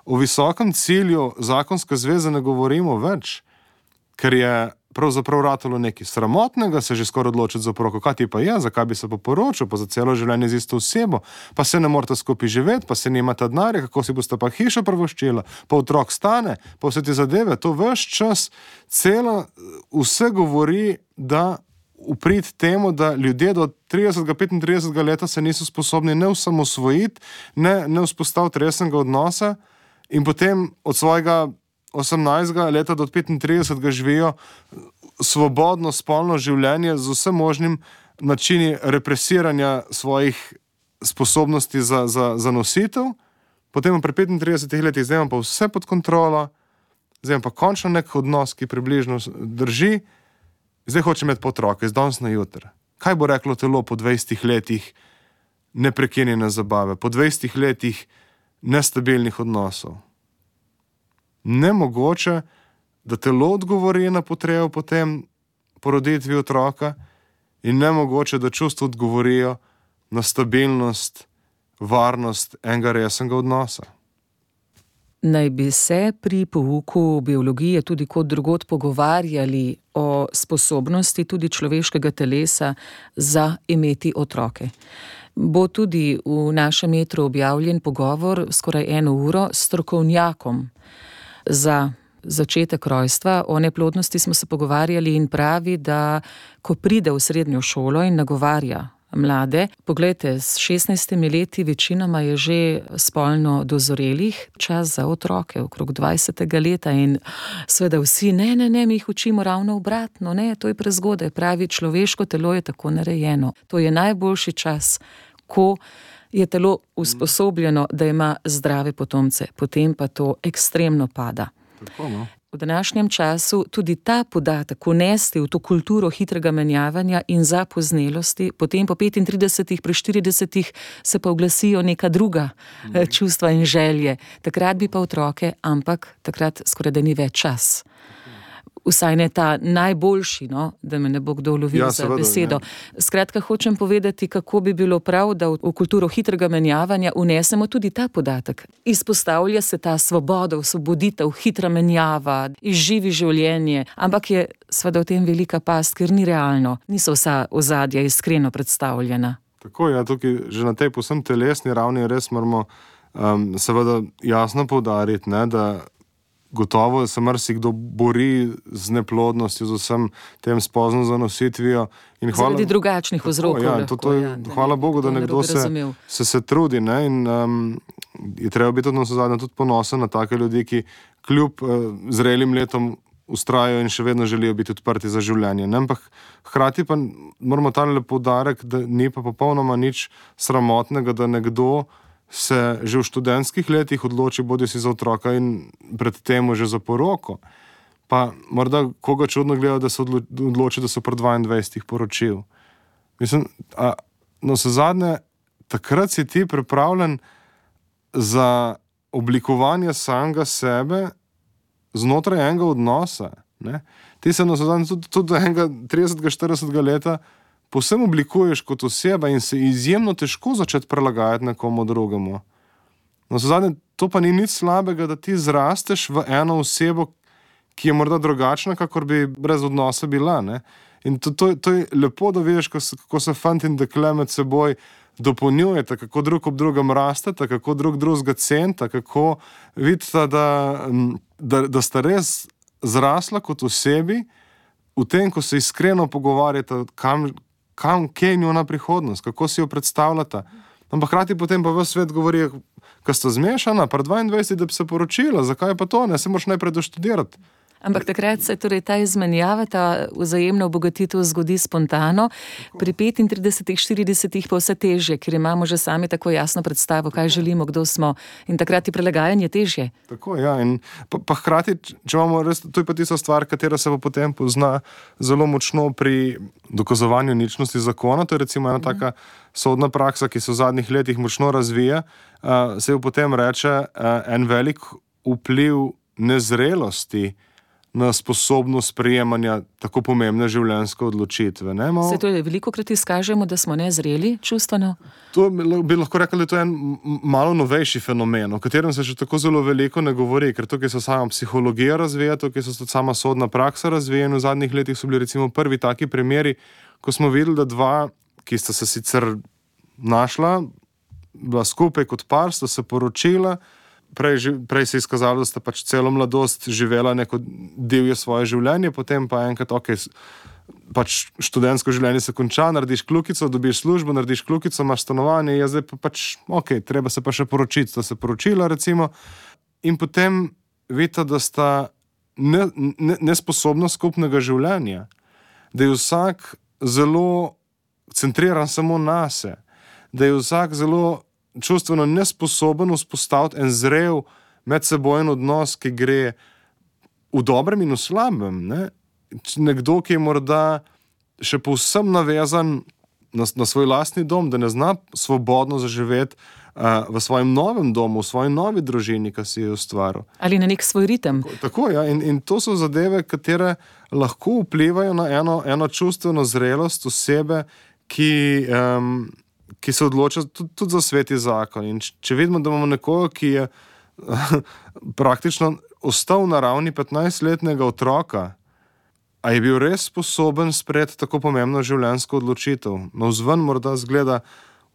o visokem cilju zakonske zveze ne govorimo več, ker je pravzaprav ratalo nekaj sramotnega, se že skoraj odločiti za oproko. Kaj ti pa je, zakaj bi se pa poročil, pa za celo življenje z isto osebo, pa se ne morate skupaj živeti, pa se nimate denarja, kako si boste pa hišo privoščila, pa otrok stane, pa vse te zadeve, to ves čas vse govori, da uprit temu, da ljudje do 30-35 leta se niso sposobni ne osamosvojiti, ne vzpostaviti resnega odnosa in potem od svojega 18. leta do 35 živijo svobodno spolno življenje z vsem možnim načini represiranja svojih sposobnosti za nositev, potem pri 35 letih zdaj imam pa vse pod kontrolo, zdaj imam pa končno nek odnos, ki približno drži, zdaj hočem imeti otroke, iz danes na jutri. Kaj bo reklo telo po 20 letih neprekinjene zabave, po 20 letih nestabilnih odnosov? Nemogoče, da telo odgovori na potrebo potem poroditvi otroka in nemogoče, da čustva odgovorijo na stabilnost, varnost enega resnega odnosa. Naj bi se pri pouku biologije tudi kot drugod pogovarjali o sposobnosti tudi človeškega telesa za imeti otroke. Bo tudi v našem etru objavljen pogovor skoraj 1 uro s strokovnjakom za začetek rojstva. O neplodnosti smo se pogovarjali in pravi, da ko pride v srednjo šolo in nagovarja mlade, poglejte, s 16 leti večinoma je že spolno dozorelih, čas za otroke, okrog 20. leta in seveda vsi, ne, mi jih učimo ravno obratno, ne, to je prezgodaj, pravi, človeško telo je tako narejeno. To je najboljši čas, ko je telo usposobljeno, da ima zdrave potomce, potem pa to ekstremno pada. Tako, no? V današnjem času tudi ta podatek unesti v to kulturo hitrega menjavanja in zapoznelosti, potem po 35, pri 40 se pa oglasijo neka druga čustva in želje. Takrat bi pa otroke, ampak takrat skoraj da ni več čas. Vsaj ne ta najboljši, no, da me ne bo kdo lovil za besedo. Skratka, hočem povedati, kako bi bilo prav, da v kulturo hitrega menjavanja unesemo tudi ta podatek. Izpostavlja se ta svoboda, osvoboditev, hitra menjava, izživi življenje, ampak je seveda v tem velika past, ker ni realno, niso vsa ozadja iskreno predstavljena. Tako, ja, tukaj že na tej povsem telesni ravni res moramo seveda jasno poudariti, ne, da gotovo se marsikdo bori z neplodnostjo, z vsem tem spozno zanositvijo. Zaradi drugačnih vzrokov. Hvala Bogu, da nekdo se trudi, ne, in je treba biti tudi ponosen na take ljudi, ki kljub zrelim letom vztrajajo in še vedno želijo biti odprti za življenje. Ne? Ampak hkrati pa moramo tale poudarek, da ni pa popolnoma nič sramotnega, da nekdo se že v študentskih letih odloči bodisi za otroka in predtem že za poroko. Pa morda koga čudno gleda, da se odloči, da se pri 22 poročil. Mislim, navsezadnje, takrat si ti pripravljen za oblikovanje samega sebe znotraj enega odnosa. Ne? Ti se navsezadnje tudi do enega 30-40 leta povsem oblikuješ kot oseba in se izjemno težko začeti prilagajati nekomu drugemu. Navsezadnje, to pa ni nič slabega, da ti zrasteš v eno osebo, ki je morda drugačna, kakor bi brez odnosa bila. Ne? In to je lepo, da vidiš, kako se fant in dekle med seboj dopolnjujete, kako drug ob drugem rastete, kako drugega cenita, kako vidite, da sta res zrasla kot osebi v tem, ko se iskreno pogovarjate, kje je njuna prihodnost, kako si jo predstavljata. Ampak hkrati potem pa ves svet govori, ko sta zmešana, pri 22, da bi se poročila, zakaj pa to, ne, se moraš najprej doštudirati. Ampak takrat se torej ta izmenjava, ta vzajemna obogatitev zgodi spontano, pri 35, 40 pa vse težje, ker imamo že sami tako jasno predstavo, kaj želimo, kdo smo, in takrat je prilagajanje težje. Tako, ja, in pa hkrati, če imamo res, to je pa tista stvar, katera se pa potem pozna zelo močno pri dokazovanju ničnosti zakona, to je recimo ena taka sodna praksa, ki se v zadnjih letih močno razvija, se jo potem reče en velik vpliv nezrelosti na sposobnost sprejemanja tako pomembne življenjske odločitve. Se to je velikokrat izkažemo, da smo nezreli čustveno? To bi lahko rekli, da je to en malo novejši fenomen, o katerem se še tako zelo veliko ne govori, ker tukaj se sama psihologija razvija, tukaj se sama sodna praksa razvija in v zadnjih letih so bili recimo prvi taki primeri, ko smo videli, da dva, ki sta se sicer našla, bila skupaj kot par, sta se poročila, Prej se je izkazalo, da sta pač celo mladost živela neko divje svoje življenje, potem pa enkrat, pač študentsko življenje se konča, narediš kljukico, dobiš službo, narediš kljukico, imaš stanovanje, zdaj pa pač, treba se pa še poročiti, sta se poročila recimo, in potem vidite, da sta nesposobna skupnega življenja, da je vsak zelo centriran samo nase, da je vsak zelo čustveno nesposoben vzpostaviti en zrel medsebojen odnos, ki gre v dobrem in v slabem. Ne? Nekdo, ki je morda še povsem navezan na svoj lastni dom, da ne zna svobodno zaživeti v svojem novem domu, v svoji novi družini, ki si jo ustvaril. Ali na nek svoj ritem. Tako, ja. In to so zadeve, katere lahko vplivajo na eno čustveno zrelost osebe, ki se odloča tudi za sveti zakon. In če vidimo, da imamo nekoga, ki je praktično ostal na ravni 15-letnega otroka, a je bil res sposoben sprejeti tako pomembno življenjsko odločitev. Navzven morda zgleda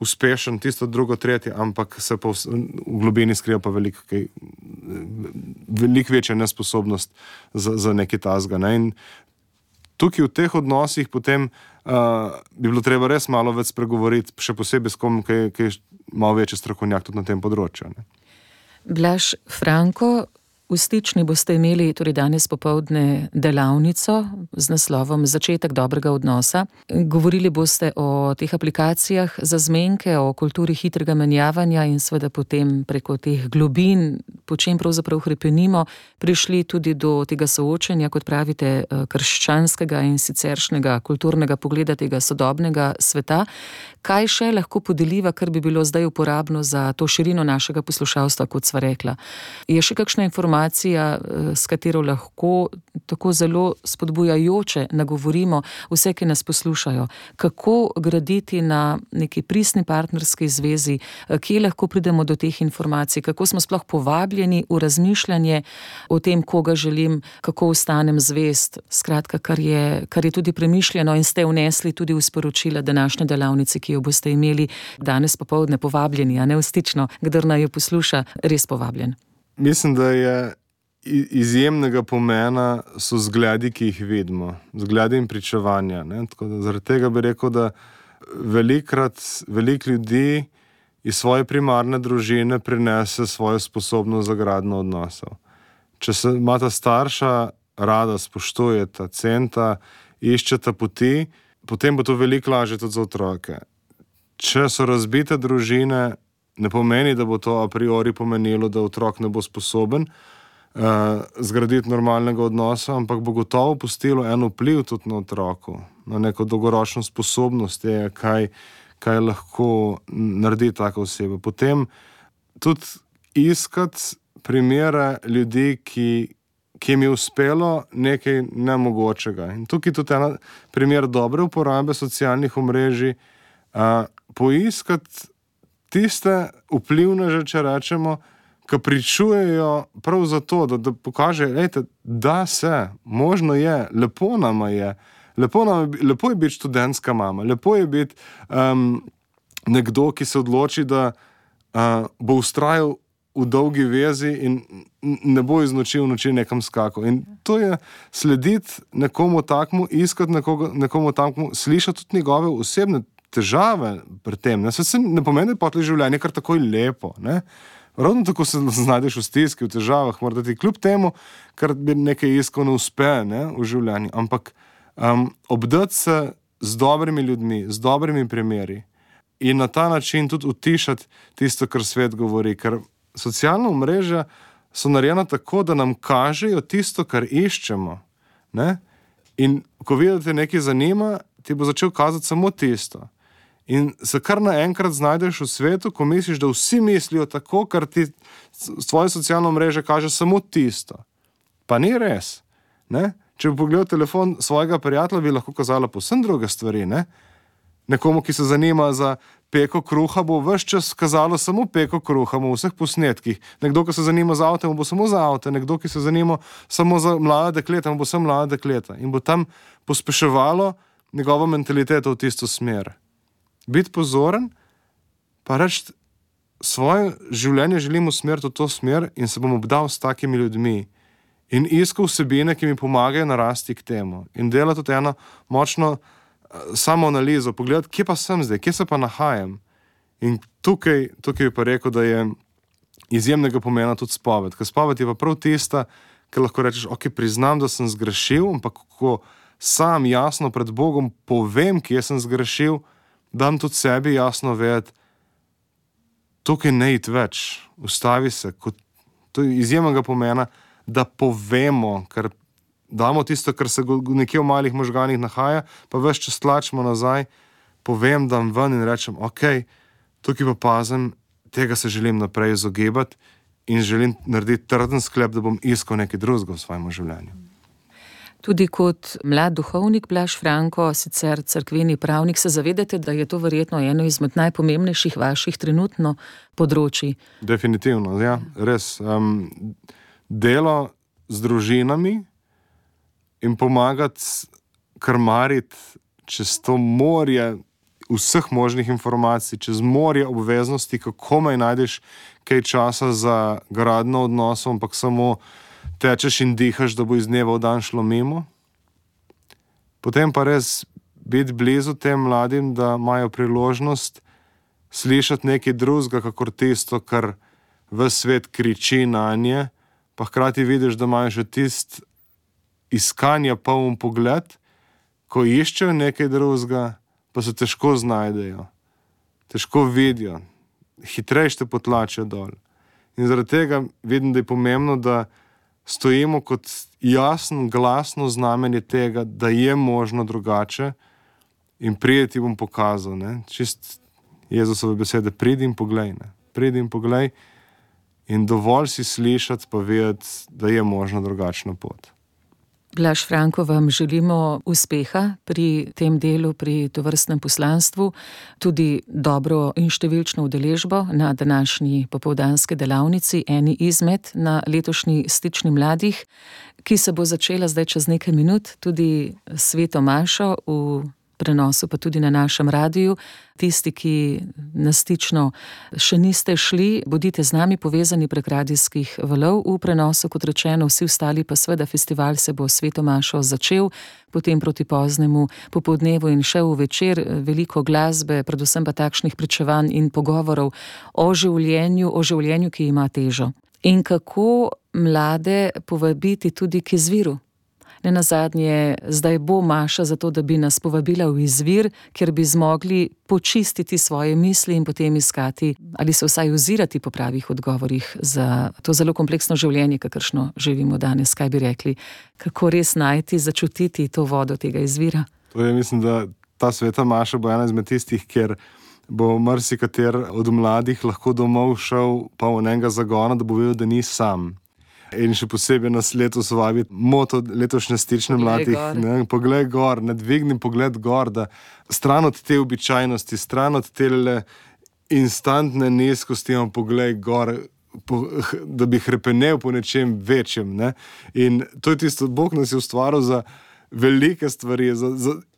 uspešen, tisto drugo, tretje, ampak se pa v globini skriva pa veliko večja nesposobnost za nekaj tazga. Ne? In tukaj v teh odnosih potem bi bilo treba res malo več spregovoriti, še posebej s kom, ki je malo večji strokovnjak tudi na tem področju. Ne? Blaž Franko, v Stični boste imeli torej danes popoldne delavnico z naslovom Začetek dobrega odnosa. Govorili boste o teh aplikacijah za zmenke, o kulturi hitrega menjavanja in seveda potem preko teh globin, po čem pravzaprav hrepenimo, prišli tudi do tega soočenja, kot pravite, krščanskega in siceršnjega kulturnega pogleda tega sodobnega sveta. Kaj še lahko podeliva, kar bi bilo zdaj uporabno za to širino našega poslušalstva, kot sva rekla? Je še kakšna informacija, s katero lahko tako zelo spodbujajoče nagovorimo vse, ki nas poslušajo? Kako graditi na neki pristni partnerski zvezi? Kje lahko pridemo do teh informacij? Kako smo sploh povabljeni v razmišljanje o tem, koga želim, kako ostanem zvest? Skratka, kar je tudi premišljeno in ste vnesli tudi v sporočila današnje delavnice, ki jo boste imeli danes popoldne, povabljeni, a ne v Stično. Kdor naj jo posluša, res povabljen. Mislim, da je izjemnega pomena so zgledi, ki jih vidimo. Zgledi in pričevanja. Ne? Tako da zaradi tega bi rekel, da veliko ljudi iz svoje primarne družine prinese svojo sposobnost za gradnjo odnosov. Če se imata starša rada, spoštujeta, centa, iščeta poti, potem bo to veliko lažje tudi za otroke. Če so razbite družine, ne pomeni, da bo to a priori pomenilo, da otrok ne bo sposoben zgraditi normalnega odnosa, ampak bo gotovo pustilo en vpliv tudi na otroku, na neko dolgoročno sposobnost, kaj lahko naredi taka oseba. Potem tudi iskati primere ljudi, ki jim je uspelo nekaj nemogočega. In tukaj tudi en primer dobre uporabe socialnih omrežij, poiskati tiste vplivneže, če rečemo, ki pričujejo prav zato, da pokaže, da se, možno je, lepo nama je, lepo je biti študentska mama, lepo je biti nekdo, ki se odloči, da bo vztrajal v dolgi vezi in ne bo iz noči v noči nekam skakal. In to je slediti nekomu takmu, iskati nekomu takmu, slišati tudi njegove osebne težave pri tem. Ne? Se ne pomeni, da je potli življenje kar takoj lepo. Ne? Ravno tako se znajdeš v stiski, v težavah, morda ti kljub temu, kar bi nekaj iskal, ne uspe, ne, v življenju. Ampak obdati se z dobrimi ljudmi, z dobrimi primeri in na ta način tudi utišati tisto, kar svet govori. Ker socialna omrežja so narejena tako, da nam kažejo tisto, kar iščemo. Ne? In ko vidite nekaj zanima, ti bo začel kazati samo tisto. In se kar naenkrat znajdeš v svetu, ko misliš, da vsi mislijo tako, kar ti svoje socialno mreže kaže samo tisto. Pa ni res. Ne? Če bi pogledal telefon svojega prijatelja, bi lahko kazala povsem druge stvari. Ne? Nekomu, ki se zanima za peko kruha, bo ves čas kazalo samo peko kruha v vseh posnetkih. Nekdo, ki se zanima za avte, bo samo za avte. Nekdo, ki se zanima samo za mlade dekleta, bo samo mlade dekleta. In bo tam pospeševalo njegovo mentaliteto v tisto smer. Biti pozoren, pa reči, svoje življenje želim usmeriti v to smer in se bom obdal s takimi ljudmi. In iskal vsebine, ki mi pomagajo narasti k temu. In delati tudi eno močno samoanalizo, pogledati, kje pa sem zdaj, kje se pa nahajam. In tukaj bi pa rekel, da je izjemnega pomena tudi spoved. Ker spoved je pa prav tista, ki lahko rečeš, ok, priznam, da sem zgrešil, ampak ko sam jasno pred Bogom povem, kje sem zgrešil, dam tudi sebi jasno vedeti, tukaj ne iti več, ustavi se. To je izjemnega pomena, da povemo, ker damo tisto, kar se nekje v malih možganih nahaja, pa ves čas tlačimo nazaj, povem, dam ven in rečem, ok, tukaj pa pazim, tega se želim naprej izogibati in želim narediti trden sklep, da bom iskal nekaj drugega v svojem življenju. Tudi kot mlad duhovnik Blaž Franko, sicer cerkveni pravnik, se zavedate, da je to verjetno eno izmed najpomembnejših vaših trenutno področij? Definitivno, ja, res. Delo z družinami in pomagati krmariti čez to morje vseh možnih informacij, čez morje obveznosti, kako komaj najdeš kaj časa za gradno odnosov, ampak samo tečeš in dihaš, da bo iz dneva v dan šlo mimo. Potem pa res biti blizu tem mladim, da imajo priložnost slišati nekaj drugega, kakor tisto, kar ves svet kriči nanje, pa hkrati vidiš, da imajo že tist iskanja poln pogled, ko iščejo nekaj drugega, pa se težko znajdejo, težko vidijo, hitreje te potlačijo dol. In zaradi tega vidim, da je pomembno, da stojimo kot jasno, glasno znamenje tega, da je možno drugače in pridi ti bom pokazal, ne? Čist Jezusove besede, pridi in poglej, ne? Pridi in poglej in dovolj si slišati pa vedeti, da je možno drugačna pot. Blaž Franko, vam želimo uspeha pri tem delu, pri tovrstnem poslanstvu, tudi dobro in številčno udeležbo na današnji popoldanski delavnici, eni izmed na letošnji Stični mladih, ki se bo začela zdaj čez nekaj minut, tudi sveto mašo v prenosu, pa tudi na našem radiju. Tisti, ki na Stično še niste šli, bodite z nami povezani prek radijskih valov v prenosu, kot rečeno, vsi ostali pa seveda festival se bo sveto mašo začel, potem proti poznemu popoldnevu in še v večer, veliko glasbe, predvsem pa takšnih pričevanj in pogovorov o življenju, ki ima težo. In kako mlade povabiti tudi k izviru? Nenazadnje, zdaj bo maša za to, da bi nas povabila v izvir, kjer bi zmogli počistiti svoje misli in potem iskati ali se vsaj ozirati po pravih odgovorih za to zelo kompleksno življenje, kakršno živimo danes. Kaj bi rekli? Kako res najti, začutiti to vodo tega izvira? Mislim, da ta sveta maša bo ena izmed tistih, kjer bo marsikater od mladih lahko domov šel pa v enega zagona, da bo vedel, da ni sam. In še posebej nas letos vabi moto letošnje Stične mladih. Poglej gor, ne dvigni pogled gor, da stran od te običajnosti, stran od te instantne nizkosti, poglej gor, da bi hrepenel po nečem večjem. Ne? In to je tisto, Bog nas je ustvaril za velike stvari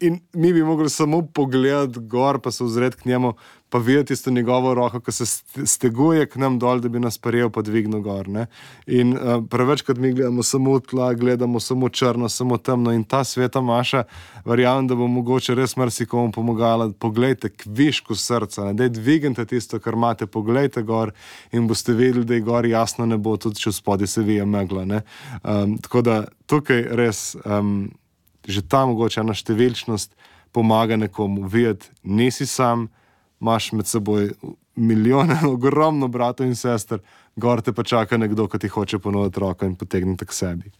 in mi bi mogli samo pogledati gor, pa se ozreti k njemu, pa videti tisto njegovo roko, ko se steguje k nam dol, da bi nas prijel pa dvignil gor. Ne? In prevečkrat mi gledamo samo tla, gledamo samo črno, samo temno in ta sveta maša, verjamem, da bo mogoče res marsikomu pomagala. Poglejte k višku srca, ne? Daj dvignite tisto, kar imate, poglejte gor in boste vedeli, da je gor jasno nebo, tudi če spodaj se vije megla. Ne? Tako da tukaj res že ta mogoče ena številčnost pomaga nekomu videti, nisi sam, imaš med seboj milijone, ogromno bratov in sester, gor te pa čaka nekdo, ki ti hoče ponuditi roko in potegniti k sebi.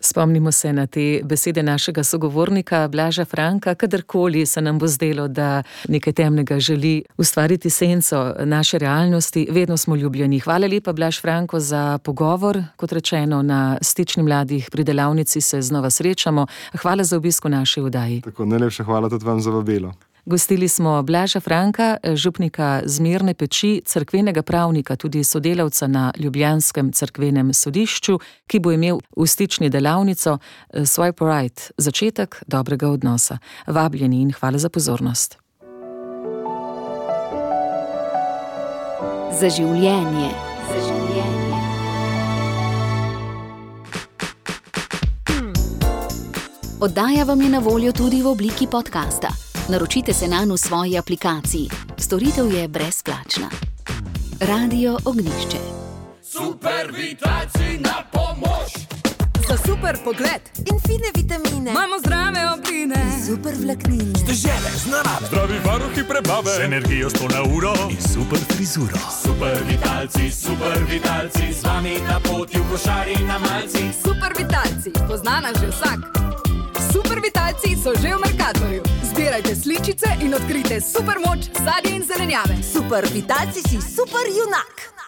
Spomnimo se na te besede našega sogovornika Blaža Franka, kadarkoli se nam bo zdelo, da nekaj temnega želi ustvariti senco naše realnosti, vedno smo ljubljeni. Hvala lepa, Blaž Franko, za pogovor. Kot rečeno, na Stični mladih pri delavnici se znova srečamo. Hvala za obisk v naši oddaji. Tako, najlepša hvala tudi vam za vabilo. Gostili smo Blaža Franka, župnika Zmerne Peči, cerkvenega pravnika, tudi sodelavca na ljubljanskem cerkvenem sodišču, ki bo imel v Stični delavnico Swipe Right, začetek dobrega odnosa. Vabljeni in hvala za pozornost. Za življenje. Oddaja vam je na voljo tudi v obliki podcasta. Naročite se nanj v svoji aplikaciji. Storitev je brezplačna. Radio Ognjišče. Super vitalci na pomoč! za super pogled In fine vitamine. imamo zdrave obline. Super vlaknine. Dežele z narave, Zdravi varuhi prebave. z energijo 100 na uro. In super frizuro. Super vitalci, z vami na poti v košari na malci. Super vitalci, pozna nas že vsak. Super vitalci so že v Mercatorju. Zbirajte sličice in odkrijte super moč sadja in zelenjave. Super vitalci si super junak.